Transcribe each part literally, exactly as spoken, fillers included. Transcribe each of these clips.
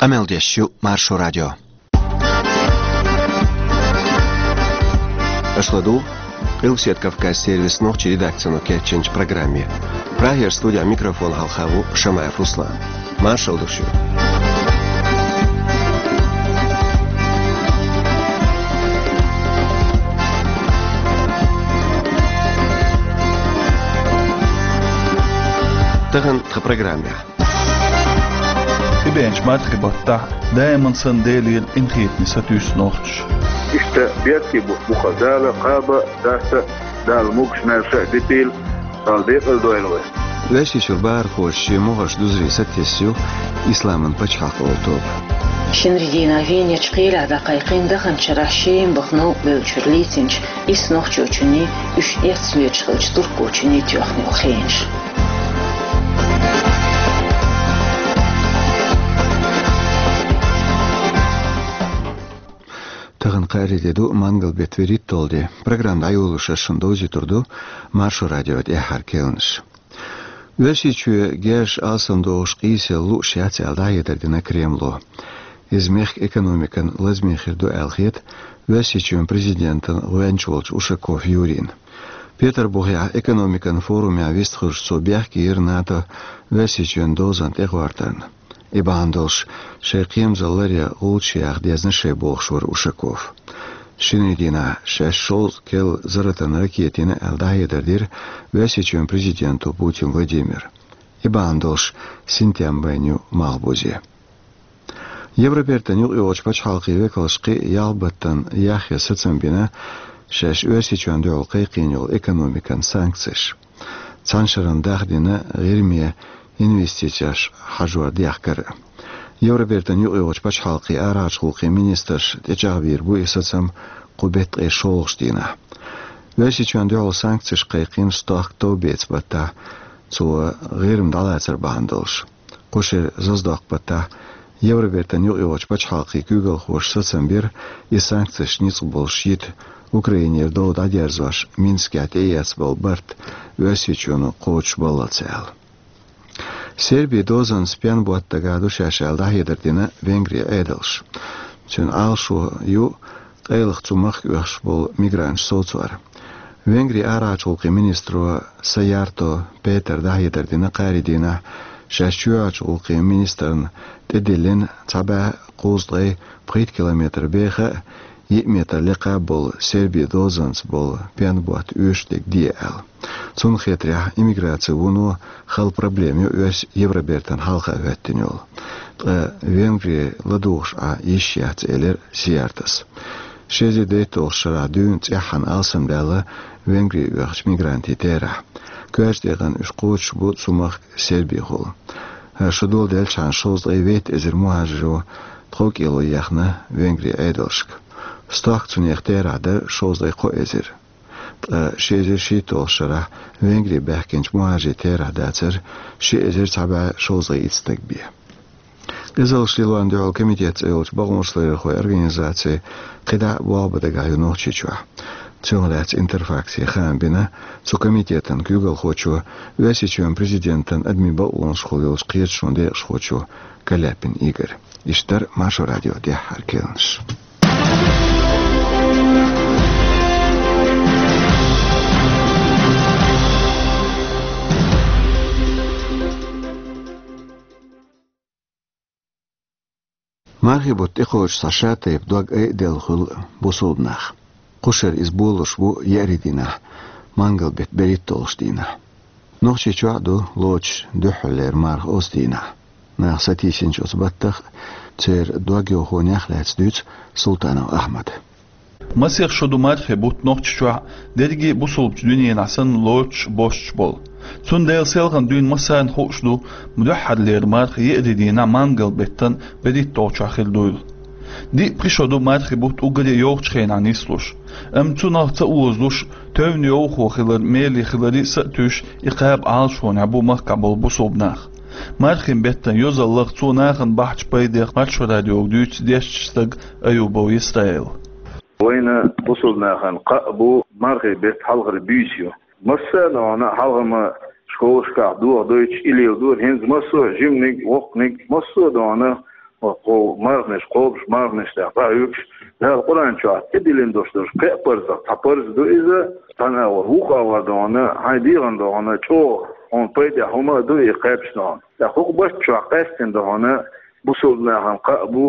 Къамел деш ю Маршо радио. Аша ладугӀу Къилбаседа Кавказан сервисан нохчийн редакцино кечйинчу программе. Прагера студехь микрофон хьалха ву Шамаев Руслан. Маршалла ду шуьга. Тахана тхан программехь. ТӀебеанчу мархин баттахь даиман санна Делера къинхетаме сатуьйсу нохчаша. Иштта бертий бу-, бу-кх Дала кхаба а, даста а, Дала могуш-маьрша а дитийла, Дала декъала дойла вай. Оьрсийчуьра бахархоша шен могӀарш дузаре сатесна ю Исламан пачхьалкх олу тоба. Шинарин дийнахь Венерчу кхелехь дӀакхайкхийна даханчу шарахь Шема баха новкъарлончуьра лецначу исс нохчочунний, уьш эцна леташ хиллачу туркочунний тоьхна йолу хенаш. Тахана кхаарин де ду, мангал беттан берхӀитталгӀа де. Программа дӀайолош ас шуна довзуьйтур ду Маршо радион тӀаьххьара керланаш. Оьрсийчоь герзаш алсамдохуш къийсалла лууш яц аьлла дӀахьедар дина Кремло. Иза мехкан экономикана лазаме хир ду аьлла хета Оьрсийчоьнан президентан гӀоьнча волчу Ушаков Юрийна. Петарбухехь экономикан форумехь вистхуьлуш цо бехке йира НАТО Оьрсийчоьнан дозанна тӀегӀортарна. И бахьана долуш, шайн кхерамзалла ларъян гӀулчаш яха дезна шайн бохуш вара Ушаков. Шинарин дийнахь шаьш шовзткъа керла зарратан ракета йина аьлла дӀахьедар дира Оьрсийчоьнан президенто Путин Владимира. И бахьана долуш синтем байна ю Малхбузе. Евробертан юкъайогӀучу пачхьалкхийн векалша кхин а ялх баттана яхъян сацам бина шаьш Оьрсийчоьнна дуьхьал кхайкхийна йолу экономикан санкцеш. Цхьана шарна дахдина ГӀирме инвестицеш хьажор дехкар а. Евробертан юкъайогӀучу пачхьалкхийн арахьарчу гӀуллакхийн министрша тӀечӀагӀбийр бу и сацам кху беттан ткъе шолгӀачу дийнахь. Оьрсийчоьнна дуьхьал санкцеш кхайкхийна стохка товбеца баттахь, цо ГӀирма дӀалацар бахьана долуш. Кху шеран зазадоккху баттахь Евробертан юкъайогӀучу пачхьалкхийн куьйгалхоша сацам бира и санкцеш ницкъ болуш йита Украинера дов дӀадерзош Минскехь тӀеэцна болу барт Оьрсийчоьно кхочушбаллалц аьлла. Сербин дозанца пенан ботт дагахь ду шаьш аьлла дӀахьедар дина Венгрин Ӏедалша. Цуьнан Ӏалашо ю къайлаха цу махка оьхуш болу мигранташ совцор. Венгрин арахьарчу гӀуллакхийн министро Саярто Петара дӀахьедар дина кхаарин дийнахь, шаьш чоьхьарчу гӀуллакхийн министрна тӀедиллина цхьа бӀе кхузткъе пхийтта километр беха а, йиъ метр лекха а болу Сербин дозанца болу пенан ботт оьшуш дерг де аьлла. Цунна хетарехь, иммиграцин вуно хала проблема ю оьрсийн Евробертана хьалха хӀоьттина йолу. Ткъа Венгри ладугӀуш Ӏа йиш яц, элира Саяртос. Ши эзар дейтталгӀачу шарахь дуьйна цӀеххьана алсамдаьлла Венгри оьхучу мигрантийн терахь. Коьртачу декъана уьш кхочуш бу цу махка Сербихула. Шо доладелчхьана шовзткъе вейтта эзар мухӀажиро тхов кӀело ехна Венгрин Ӏедалшка. Стохка цунах терахь дара шовзткъе кхо эзар. Ткъа ши эзар шийтталгӀачу шарахь Венгри баьхкинчу мухӀажирийн терахь дацара ши эзар цхьа бӀе шовзткъе итт стаг бен. Къизаллаш лелорна дуьхьал комитет цӀе йолчу бакъонашларъярхойн организаци кхидӀа а болх бан дагахь ю Нохчийчохь. Цунах лаьцна Интерфаксе хаам бина цу комитетан куьйгалхочо Оьрсийчоьнан президентан адамийн бакъонашкахула йолчу кхеташонан декъашхочо Каляпин Игоря. Иштта дара Маршо радион тӀаьххьара керланаш. Мархин бутт тӀекхочуш цхьа шатайпа дог айаделла хуьлу бусулба нах. Кху шарахь иза болуш бу еарин дийнахь, мангал беттан берхӀитталгӀачу дийнахь. Нохчийчохь а ду лоцуш дуьххьарлера марха оцу дийнахь. Нах сатийсинчу оцу баттах а, церан дог йовхонех а лаьцна дуьйцу Султанов Ахьмада. Масех шо ду мархин бутт Нохчийчохь а, дерриге а бусулбачу дуьненахь санна лоцуш а, босуш а болу. Цундела селхана дуьйна массарна хууш ду дуьххьарлера марха еарин дийнахь, мангал беттан берхӀитталгӀачохь хир дуйла. Диъ-пхи шо ду мархин бутт уггаре а йовхачу хенахь нислуш. Амма цунах ца озалуш, тевне йовхо хилар, меле хиларе а сатуьйсуш, и кхаба Ӏалашонехь бу махкахь болу бусулба нах. Мархин беттан йозаллех, цо нахана бахьачу пайдех Маршо радиога дуьйцу дешначу стага Аюбов Исраила. Вайна бусулба нахана кхаъ бу мархин беттан хьалхара буьйса ю. Массарна а хьалха-м школашкахь дохадойтуш и леладора, хӀинца массо а жиманиг, воккханиг, массо а дохана Кхо марханаш, кхобуш марханаш тӀехь дӀа а хьуьгуш, Дала Къуръан чохь тӀедиллина долуш долуш кхин а парзах цхьа парз ду иза, цхьана агӀор вукху агӀор дохана, хьайн дегӀана дохана, чӀогӀа хьуна пайдехь хӀума а ду и кхаьбча дохана. ТӀаккха хӀокху барт чохь къаьстина дохана, бусалба нахана кхаъ бу,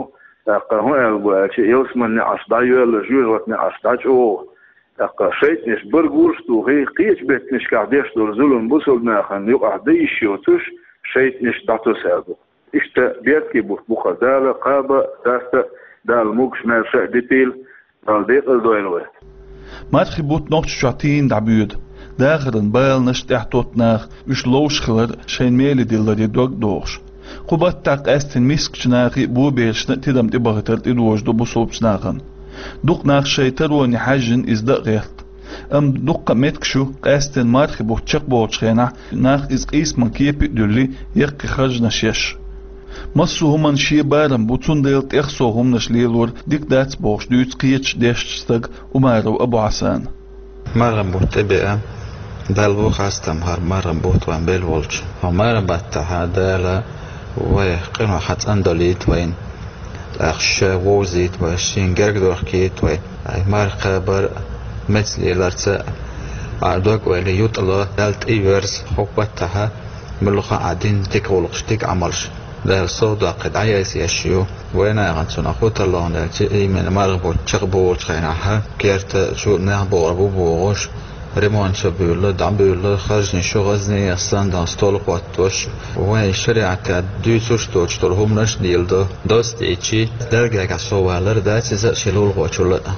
тӀаккха хӀун аьлла бу аьлча, ялсаманин неӀарш дӀайоьлла, жоьжахатин неӀарш дӀачӀогӀа. ТӀаккха шайтӀанаш бар гурш а тухий, кхечу беттанашкахь деш долу зулам бусалба нахана юкъахь дан йиш йоцуш, шайтӀанаш дӀатосаьлла ду. Иштта бертий бутт бу хӀара, Дала кхаба а, даста а, Дала могуш-маьрша а дитийла, Дала декъала дойла вай. Мархи бутт Нохчийчохь тийна дӀабоьду. Дахаран баланаш тӀехь тотту наха, уьш ловш хилар шайн меле дилларе дог а дохуш. Кху баттахь къаьсттина мискачу нахе а, боберашна а тидам тӀебахийтар тӀедожадо бусалбачу нахана. Дукха нах шайн тароне хьаьжжина иза дан а гӀерта. Амма дуккха а меттигаш ю, къаьсттина мархи бутт чекхболучу хенахь нах иза къийсаман кепе а дуьллий, яккхий харжамаш еш. Массо а хӀуманна шен барам бу, цундела тӀех сов хӀуманаш лелор дика дац бохуш дуьйцу кхечу дешначу стага Умаров Абу-Хьасана. Мархи бутт тӀебеа, Далла бу хастам хӀара мархи бутт вайн белла волчу. Хьо мархи баттахь Дала вай къинойх хьан цӀандалийта вайна. ТӀаккха ша вовзийта вай, шен герга дохкийта вай. Ай, марха кхабар а, меца леларца а, а дог-ойла ютӀало, Далла тӀеверза, хӀокху баттахь муьлхха а дина дика гӀуллакхаш, дика Ӏамалш Дала сов доккхий дӀаяйса еш ю. Вайн нахана цунах хӀун тарло аьлча, именно мархи бутт чекхболучу хенахь, керта чу нах богӀур бу бохуш, ремонт ца буьйлла, дӀабуьйлла, харжанаш ю гӀазнех санна, стол хӀоттош. Вайн шариӀатехь дуьйцуш доцуш долу хӀуманаш а леладо. Доцу дийцчи, Далла гергахь соввалар дац иза шен лулахочул а.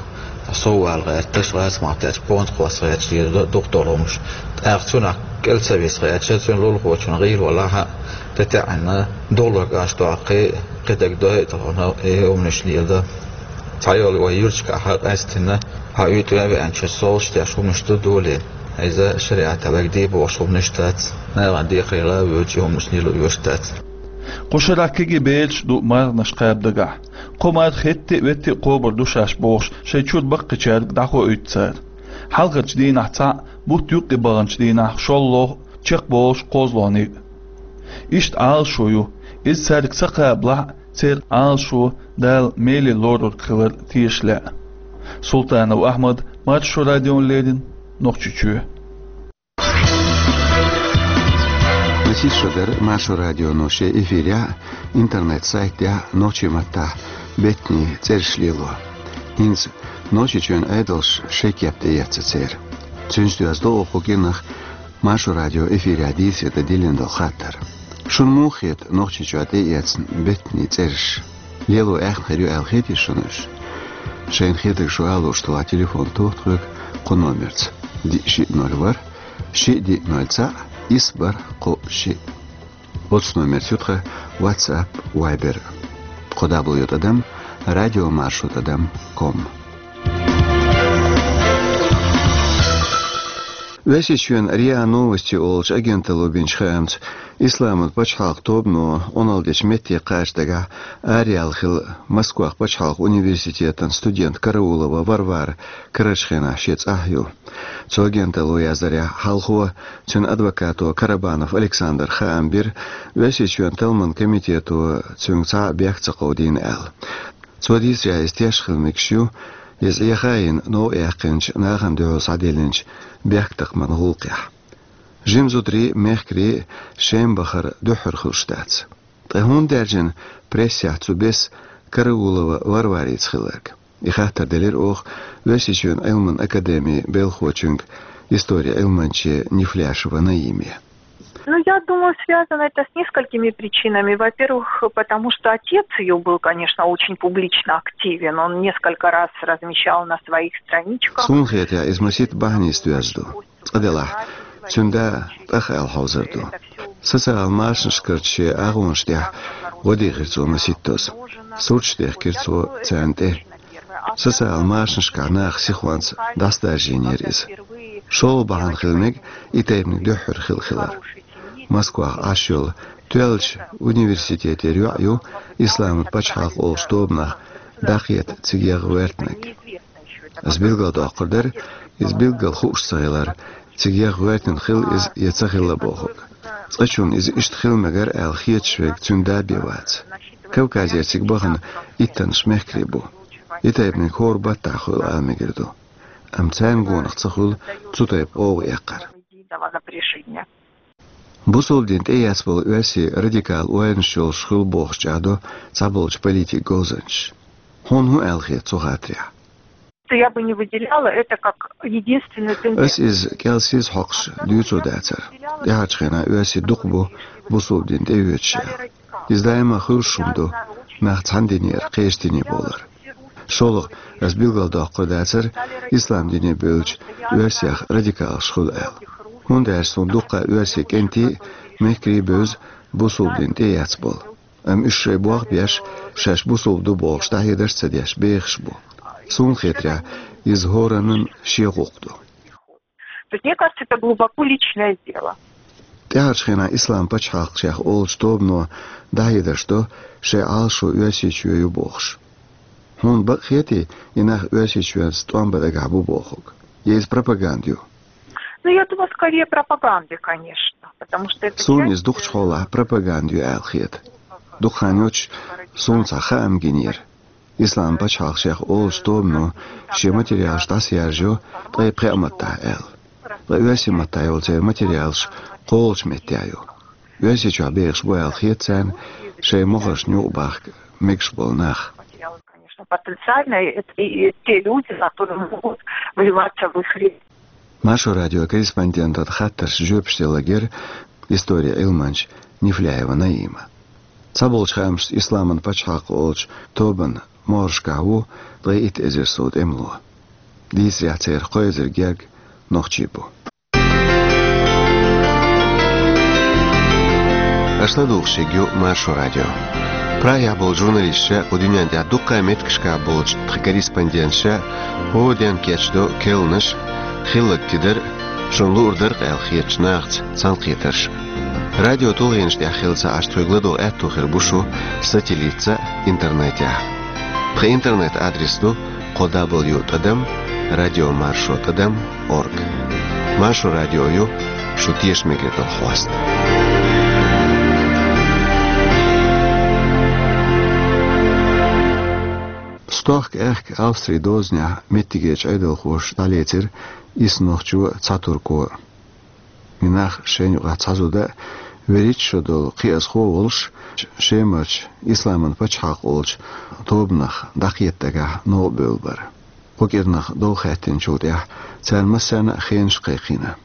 Соввала гӀерташ, гӀаза махтаьрчу понт кхосса гӀерташ леладо дукха долу хӀуманаш. ТӀаккха цунах кӀел ца виса гӀерташ, цуьнан лулахочун гӀийла валахь а, тӀетаьӀна духалург аш доккхий, кхидерг дойа а тахана, и хӀуманаш леладо. Цхьайолу вай юьрташкахь къаьсттина, хьан уьйтӀа а веанчу совлуш деш хӀуманаш ду долий. Иза шариӀатехь вайга де бохуш хӀуманаш дац. Нахана декхарийлахь а воьдуш, и хӀуманаш лело оьшуш дац. Кху шарахь кегий бераш а ду марханаш кхаба дагахь. Кхо марха хӀетте а, ветте а кхобур ду шаьш бохуш, шайн чуьра баккхийчаьрга дӀахоуьйту цара. Хьалхарчу дийнахь цхьаъ, бутт юккъе баханчу дийнахь шолгӀа, чекхболуш кхозлагӀниг а. Иштта Ӏалашо ю, иза цаьрга ца кхабалахь а, церан Ӏалашо Дала меле лорур хилар теша лаьа. Султанов Ахьмад, Маршо радиона леррина, Нохчийчоь. Масех шо дара Маршо радионо шен эфирехь а, интернет-сайтехь а нохчийн маттахь беттанийн цӀераш лело. ХӀинца Нохчийчоьнан Ӏедалша шайн кеп тӀеэцна церан. Цуьнца доьзна ду оха кху кӀиранах Маршо радион эфирехь дийцаре дан диллина долу хаттар. Шуна муха хета Нохчийчохь тӀеэцна беттанийн цӀераш? Лело аьхна хир ю аьлла хетий шуна уьш? Шайна хетарг шу ала лууш тохахь телефон тоха тхоьга кху номерца: диъ шиъ ноль ворхӀ, шиъ диъ ноль цхьаъ, исс бархӀ кхоъ шиъ. Оцу номерца ю тхан WhatsApp, Viber. Кхо дабл ю тӀадам радиомаршо тӀадам ком. Оьрсийчоьнан РИА Новости олучу агенталло бинчу хаамца, Исламан пачхьалкх тобано Ӏуналла дечу метте кхача дагахь араяьлла хилла Москвахь пачхьалкх университетан студент Караулова Варвара карарчу хенахь шен цӀахь ю. Цу агенталло яздарехь, хьалхо цуьнан адвокато Карабанов Александра хаам бира, Оьрсийчоьнан талламан комитето цуьнга цхьа а бехк ца кховдийна аьлла. Цо дийцарехь, иза теш хила мегаш ю, иза Ӏеха а йина, новкъа яьккхинчу, нахана дуьхьал схьаделлинчу бехктакхаман гӀуллакхехь. Жима зударий а, мехкарий а Шема бахар дуьххьара хуьлуш дац. Ткъа хӀунда даьржина прессехь цу бесса Караулова Варварица хилларг? И хаттар делира оха Оьрсийчоьнан Ӏилман академин белхочуьнга, историн Ӏилманче Нефляшева Наиме. Ну, я думаю, связано это с несколькими причинами. Во-первых, потому что отец ее был, конечно, очень публично активен. Он несколько раз размещал на своих страничках. Суна хетарехь, иза масийтта бахьанийца доьзна ду. Цкъа делахь, цуьнан да тӀах аьлла хьовзар ду. Социалан машанашкарчу шен агӀонаш тӀехь гӀо дийхира цо масийттаза. Сурташ дехкира цо царна тӀе. Социалан машанашкахь наха сихонца дӀасадаржийнера иза. ШолгӀа бахьана хила мега и тайпаниг дуьххьара хилла хилар. Москвахь Ӏаш йолу тоьллачу университетера йоӀ ю Исламан пачхьалкх олучу тобанах дӀакхета цига ягӀа гӀоьртинарг. Ас билгалдоккхур дара, иза билггал хууш ца хилар, цига ягӀа гӀоьртина хилла иза я ца хилла бохург. Цкъачунна иза иштта хила мегара аьлла хеташ верг цуьнан да бен вац. Кавказера цига бахана иттаннаш мехкарий бу. И тайпаниг хӀора баттахь хуьлу ала мегар ду. Амма царна гонах ца хуьлу цу тайпа гӀовгӀа эккхар. Бусалба дин тӀеэцна болу оьрсийн радикал ойланаш йолуш хуьлу бохуш чӀагӀдо цхьаболчу политикан говзанчаша. Хьуна хӀун аьлла хета цу хаттарехь? Я бы не выделяла это как единственную тенденцию. Ас иза кӀел сиз хьокхуш дуьйцур дацара. ТӀаьхьарчу хенахь оьрсий дукха бу бусалба дин тӀеоьцуш аьлла. Иза даима хуьлуш хӀума ду, нах цхьана динера кхечу дине бовлар. ШолгӀа, ас билгалдоккхур дацара, ислам дине бевлча оьрсех радикалаш хуьлу аьлла. ХӀунда аьлча суна дуккха оьрсийн кӀентий, мехкарий бевза бусалба дин тӀеэцна болу. Амма уьш шайн болх беш, шаьш бусалба ду бохуш дӀахьедарш а ца деш, бехаш бу. Суна хетарехь, иза хӀораннан шен гӀуллакх ду. То есть, мне кажется, это глубоко личное дело. ТӀаьхьарчу хенахь Ислам пачхьалкх шех олучу тобано дӀахьедарш до шайн Ӏалашо Оьрсийчоь ю бохуш. Хьуна бакъ хетий, и нах Оьрсийчоьнца тӀом бан дагахь бу бохург? Я иза пропаганда ю? Ну, я думаю, скорее пропаганда, конечно, потому что это... Суна иза дукхачу хьолахь пропаганда ю аьлла хета. Дукха хан йоцуш суна цхьа хаам гинера. Ислам пачхьалкх шех олучу тобано шен материалаш дӀасаяржайо ткъе пхеа маттахь аьлла. Ткъа оьрсийн маттахь йолу церан материалаш кхоалгӀачу меттехь ю. Оьрсийчохь бехаш бу аьлла хета царна шайн мохаршна юкъабахка мегаш болу нах. Конечно, потенциально это и те люди, которые могут вливаться в их ряды. Маршо радион корреспондентан хаттаршна жоьпаш делла гира историн Ӏилманча Нефляева Наима. Цхьаболчу хаамашца Исламан пачхьалкх олучу тобанан могӀаршкахь ву ткъе итт эзар сов тӀемало. Дийцарехь, церан кхо эзар герга нохчий бу. Аша ладугӀуш ерг ю Маршо радио. Прагехь болчу журналисташа, кху дуьнен тӀехь дуккха а меттигашкахь болчу тхан корреспонденташа хӀора ден кечдо керланаш, хилларг тидар, шуна луур дара-кх аьлла хетачу нахаца цхьаьнакхетарш. Радио тулгӀенаш тӀехь хилла ца Ӏаш, тхоьга ладогӀа аьтто хир бу шу сателлитца а, интернетехь а. Тхан интернет-адрес ду кхо дабл ю тӀадам радио маршо тӀадам орг. Маршо радио ю шу тешаме хир долу хьоста. Стохка аьхка Австрин дозанехь меттигерчу Ӏедалхоша дӀалецира исс нохчо, цхьа турко. И нах шайна юкъахь цхьа зуда а, вуьрхӀитта шо долу кхиазхо а волуш, Шемарчу Исламан пачхьалкх олучу тобанах дӀакхета дагахь новкъа бевлла бара. Кху кӀирнах дов хаьттинчул тӀаьхьа царна массарна а хенаш кхайкхийна.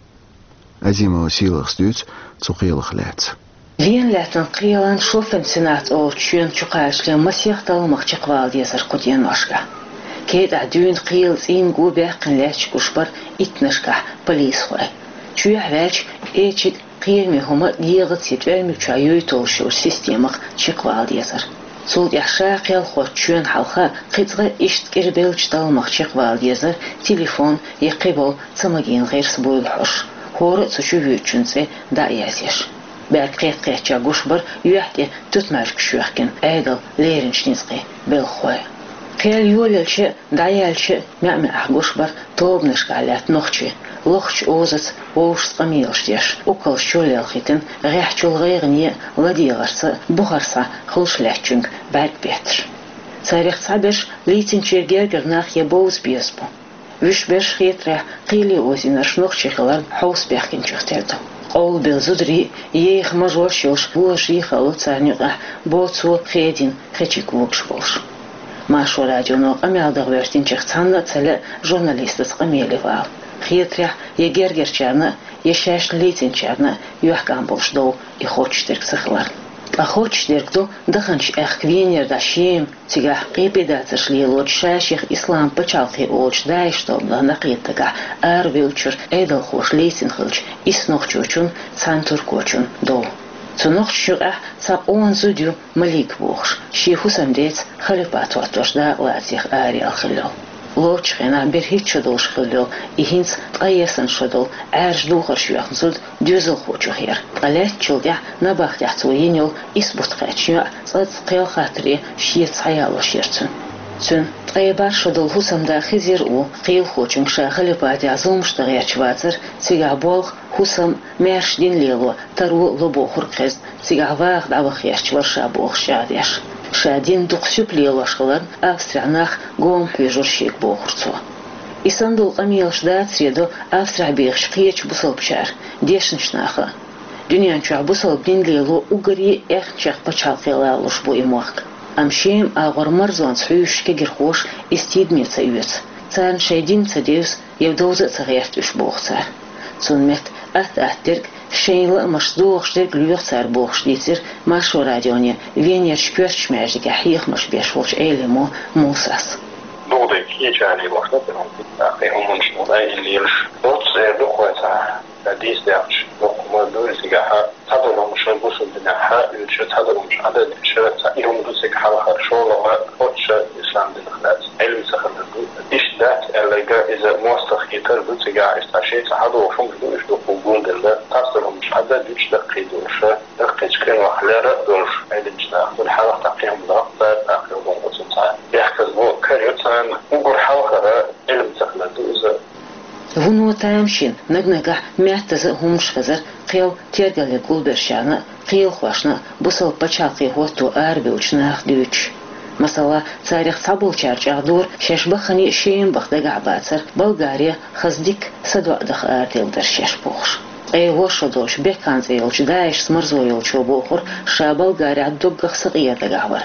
Азимова Сийлахас дуьйцу цу кхелах лаьцна. Вена лаьттан кхелан Шоффен-Сенат олучу чоьнан чу кхачале масех талламах чекхвала дезара кху деношкахь. КетӀахь дуьйна кхелан цӀийнан гу баьккхина лаьтташ гуш бара иттаннашкахь полисхой. Чоьхьа ваьлча, эчиг, кхераме хӀума дегӀаца я тӀоьрмиг чохь юй толлуш йолчу системах чекхвала дезара. Цул тӀаьхьа ша кхел хоттучу чоьнна хьалха кхин цкъа иштта кӀирбеллачу талламах чекхвала дезара телефон я кхиболу ца магийна гӀирс буйла хьош, хӀора а цу чу воьдучун цӀе дӀа а язъеш. БӀаьрг кхетта-кхеттачохь гуш бара юьхь тӀе туьтмаьжгаш йоьхкина Ӏедалан леринчу ницкъийн белхахой. Кхел йолаелча а, дӀаяьлча а маьӀ-маьӀӀехь гуш бара тобанашкахь лаьтта нохчий, лохучу озаца вовшашца къамелаш деш, уккалш чулелхийтина, гӀеххьачул гӀайгӀане а, ладегӀарца а бухара схьа хуьлуш лаьттачуьнга бӀаьрг бетташ. Царех цхьаберш лийцинчеран гергара нах я бовза беза бу. Вуьш берш, хетарехь, кхеле озийнарш нохчий хиларна хьовса баьхкинчух тера ду. Къовлабелла зударий а, еха мажош а йолуш божарий а хаало царна юкъахь боцо, хедийна хечиг вогуш болуш. Маршо радионо къамел дан гӀоьртинчех цхьанна а ца лаьа журналистаца къамеле вала. Хетарехь, я гергарчарна а, я шаьшна лийцинчарна а юьхькӀам болуш дов и хоттуш дерг ца хиларна. Ткъа хоттуш дерг ду даханчу аьхка Венера дӀа Шема, цигахь къепедацарш лелочу, ша-шех Ислам пачхьалкхе олучу ДАИШ тобанах дӀакхета дагахь арабевллачуьра Ӏедалхоша лийцина хиллачу исс нохчочун, цхьана туркочун дов. Цу нохчашна юкъахь цхьа къона зуда ю Малик бохуш, шен хӀусамдеца халипат хӀоттош дакъалацех араяьлла хилла йолу. Лоцучу хенахь берхӀитта шо долуш хилла йолу и хӀинца ткъе ялх шо долу Ӏаьржа духарш йоьхна зуда доьзалхочух яра. Ткъа лаьттачул тӀаьхьа набахтехь цо йина йолу исс бутт кхаьчна йоӀ цкъацкъа кхел хаттаре шеца схьаялош яра цуьнан. Цуьнан ткъе бархӀ шо долу хӀусамда Хизир ву кхелахочуьнга ша халипатехь зуламаш дан гӀерташ вацара, цигахь болх, хӀусам, маьрша дин лело, таро, ло бохург хезна, цигахь ваха дӀаваха гӀерташ вара ша бохуш чӀагӀдеш. Ша дин дукха сип лелош хиларна, Австрехь нах гома хьоьжура шега, бохура цо. И санна долу къамелаш дацаре до Австрехь бехачу кхечу бусалбачара, дешначу наха а. Дуьнен чохь бусалба дин лело уггаре а аьхначех пачхьалкхе лалуш бу и мохк. Амма Шема агӀор марзонца хьуьйсучу кегирхоша иза тидаме ца оьцу. Царна шайн дин ца девза, я довза а ца гӀерта уьш, боху цара. Цунна метта атта-атта дерг, шайн лаамашца догӀуш дерг лоьху цара, бохуш дийцира Маршо радионе Венерчу коьртачу маьждигехь хьехамаш беш волчу Ӏелимо Мусас. Дукха дерг кхечарна лелош ду, тӀаккха и хӀуманаш ду, дай и лелаш. Оццу эр ду кхойца, сан дийца даьхча, дукха ма дуй цигахь, цхьадолу хӀума ша бусалба динехь оьцуш, цхьадолу хӀума ша Ӏадатдеш, цхьа и хӀума ду цига хьалхара, шолгӀа оццу ша ислам динах дац, Ӏилма ца хилар ду. Иштта дац аьлларг иза мостагӀа хетар ду цигахь, иштта шен цхьа хьадогӀуш хӀумаш ду, уьш дукха гулделла, цхьадолу хӀума ша Ӏадатдуьтуш даккхийдолуш, даккхийчу къинойх лерра а долуш, Ӏединчу наха гур хьалха тӀаккха кхин хӀума даккха цара, тӀаккха юхана оцу цхьа бехказло кара ю царна, уггар хьалхара Ӏилма ца хилар ду иза. Вуно тамашийна наг-нагахь меттаза а хӀуманаш хезар, кхел тергалле гулбершарна а, кхелахошна а бусалба пачхьалкхе хӀотто арабевллачу наха дуьйцуш. Масала, царах цхьаболчара чӀагӀдора, шаьш баххане а Шема баха дагахь бацара, Болгаре хаза дика садоӀа даха араделла дара шаьш, бохуш. Ткъе ворхӀ шо долчу Бекхан цӀе йолчу ДАИШ-ца марзо йолчо бохура, ша Болгарехь доггах сакъера дагахь вара.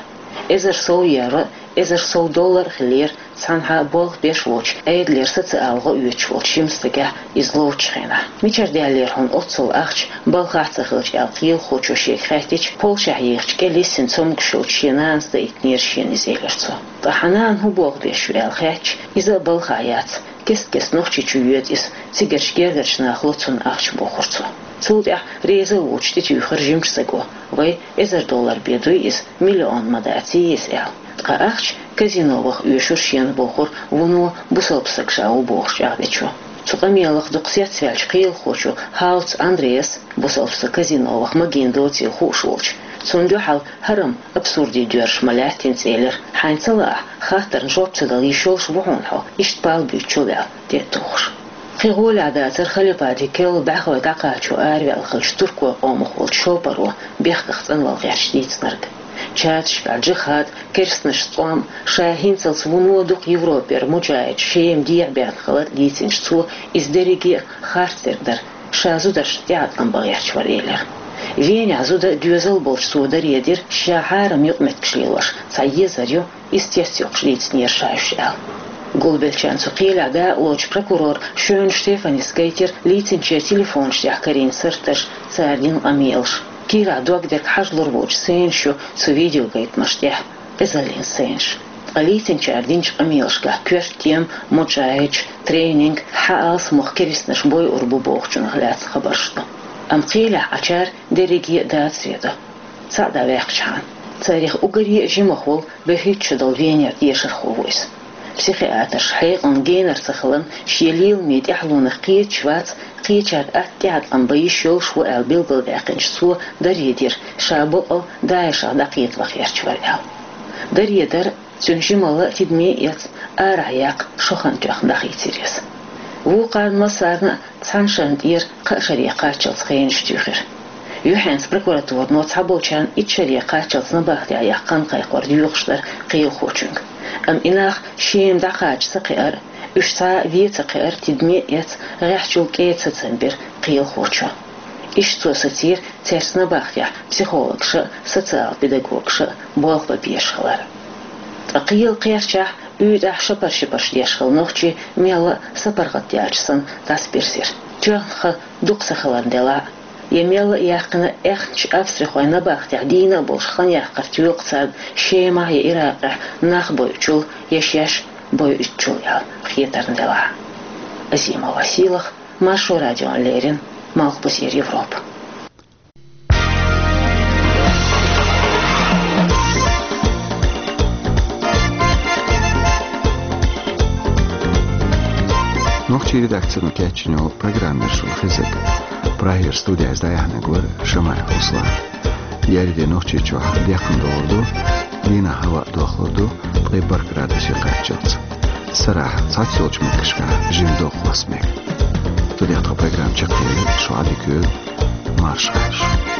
Эзар сов евро, эзар сов доллар а хиллера, цхьанхьа болх беш воцуш, Ӏедалера социалан гӀо оьцуш волчу жима стагехь иза ловчу хенахь. Мичара даьллера хьуна оццул ахча, балхахь а ца хилча, аьлла, кхелахочо шега хаьттича, Польшехь ехачу кӀел йиссина цомгуш йолчу шен нанас даийтинера шена иза, элира цо. Ткъа хьан нана хӀун болх беш ю аьлла хаьттича, иза а балхахь яц, кест-кеста Нохчийчу йоьду иза, цигарчу гергарчу наха ло цунна ахча, бохура цо. Цул тӀаьхьа реза а воцуш тӀетуьйхира жимачу стага: «Вай, эзар доллар бен дуй иза, миллион ма даций иза», — аьлла. Ткъа ахча казино ваха оьшура шена, бохура вуно бусалба стаг ша ву бохуш чӀагӀдечо. Цу къамелах дукха цецваьллачу кхелахочо Хауц Андреас, бусалба стаг казино ваха магийна доцийла хууш волчу, цунна дуьхьал хӀара-м абсурдин доьрзуш ма лаьттинца, элира: «Хьайна ца лаахь, хаттарна жоп ца дала йиш йолуш ву хьуна хьо, иштта пал буьйцучул», — аьлла, тӀе а тухуш. Кхин гӀолехь дацара халифатан керла бӀаьхой дӀакхачо араваьлла хиллачу туркойн къомах волчу шопаро бехках цӀанвала гӀерташ дийцинарг. Чаташкахь джихад, керстанашца тӀом, ша хӀинцалц вуно дукха Европера муджахӀидаш Шема дехьабаьхна хилар дийцинчу цо, иза дерриге а харцдерг дара, ша зударшна тӀеӀаткъам бан гӀерташ вара, элира. Венехь зуда доьзал болчу цо даре дира, ша хьарам юкъаметтигаш лелош цхьа езар ю, иза тесна йоккхуш дийцинера ша уьш аьлла. Гулбеллачарна цу кхелехь дакъалоцучу прокурора Шоьна Штефанис гайтира лийцинчеран телефонаш тӀехь карийна сурташ, цара дина къамелаш. Кийрахь догдерг хьажалур воцуш сценаш ю цу видеогайтамаш тӀехь, къизаллин сценаш. Ткъа лийцинчара динчу къамелашкахь коьрта тема муджахӀидаш, тренинг, хьан алсамох керстанаш бойур бу бохучунах лаьцна хабарш ду. Амма кхелехь Ӏачара дерриге а дацаре до. Цхьаъ дӀаваьккхичхьана, царах уггаре а жимах волу бохуьйтуш долу Венера дешархо ву иза. Психиатрша хьекъална генара ца хиларна, шен леламийн тӀаьхьалонах кхеташ вац, кхечара атта тӀеӀаткъам бан йиш йолуш ву аьлла билгалдаьккхинчу цо даре дира, ша бакъ а ДАИШах дӀакхета ваха гӀерташ вара аьлла. Даре дар, цуьнан жималла а тидаме а эцна, арахь яккха шо хан тоьхна дӀахийцира иза. Вукхарна массарна а цхьана шарна тӀера кхаа шаре кхаччалц хенаш туьйхира. Юьхьанца прокуратуро цхьаболчарна итт шаре кхаччалц набахтехь яккха хан кхайкхор доьхуш дара кхелахочуьнга. Амма и нах Шема дӀакхача ца кхиар а, уьш цхьа а вен ца кхиар а тидаме а эцна, гӀеххьачул кӀеда сацам бира кхелахочо. Иштта цо сацийра цаьрца набахтехь психологаша а, социал педагогаша а болх бан безаш хилар. Ткъа кхелан кхерчахь, уьйтӀахь шапар-шапарш деш хилла нохчий мелла а сапаргӀат даьлча санна дӀасабирзира. Тоьхна хан дукха ца хиларна делахь а, я мелла а яьккхина аьхначу австрихойн набахтехь дийна а болуш хан яккхар тоьлу царна Шемахь я Иракъехь нах бойучул, я шаьш бойуьйтучул аьлла хетарна делахь а. Азимова Сийлаха, Маршо радиона леррина, Малхбузера Европа. Нохчийн редакцино кечйина йолу программа яра шуна хезнарг. Прагера студехь иза дӀаяьхьнарг вара Шамаев Руслан. Еарин де Нохчийчохь декхна догӀур ду, дийнахь хӀаваъ дохлур ду ткъе бархӀ градусе кхаччалц. Сарахь цхьацца йолчу меттигашкахь жимма догӀа хӀусамега. Цу тӀехь тхан программа чекхъели, шу Ӏадика йойла, марша Ӏойла шу.